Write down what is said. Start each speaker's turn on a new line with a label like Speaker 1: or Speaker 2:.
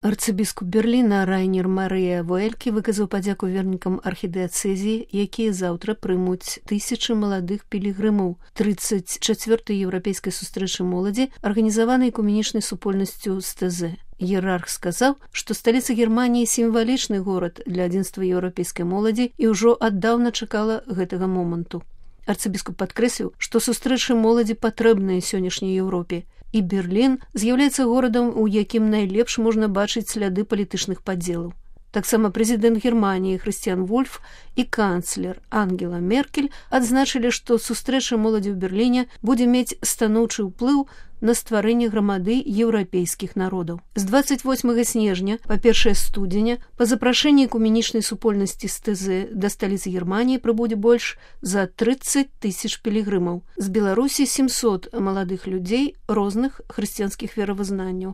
Speaker 1: Арцыбіскуп Берліна Райнер Марыя Вуэлькі выказаў падзяку вернікам архідыяцэзіі, якія заўтра прымуць тысячы маладых пілігрымаў 34-й еўрапейскай сустрэчы моладзі, арганізаванай экуменічнай супольнасцю з ТЗ. Іерарх сказаў, што сталіца Германіі сімвалічны горад для адзінства еўрапейскай моладзі і ўжо аддаўна чакала гэтага моманту. Арцыбіскуп падкрэсліў, што сустрэчы моладзі патрэбныя сённяшняй Еўропе, і Берлін з'яўляецца горадам, у якім найлепш можна бачыць сляды палітычных падзелаў. Таксама прэзідэнт Германіі Хрысціян Вольф і канцлер Ангела Меркель адзначылі, што сустрэча моладзі ў Берліне будзе мець станоўчы ўплыў на стварэнне грамады еўрапейскіх народаў. З 28 снежня па 1 студзеня па запрашэнні экуменічнай супольнасці з ТЗ да сталіцы Германіі прыбудзе больш за 30 тысяч пілігрымаў. З Беларусі 700 маладых людзей розных хрысціянскіх веравызнанняў.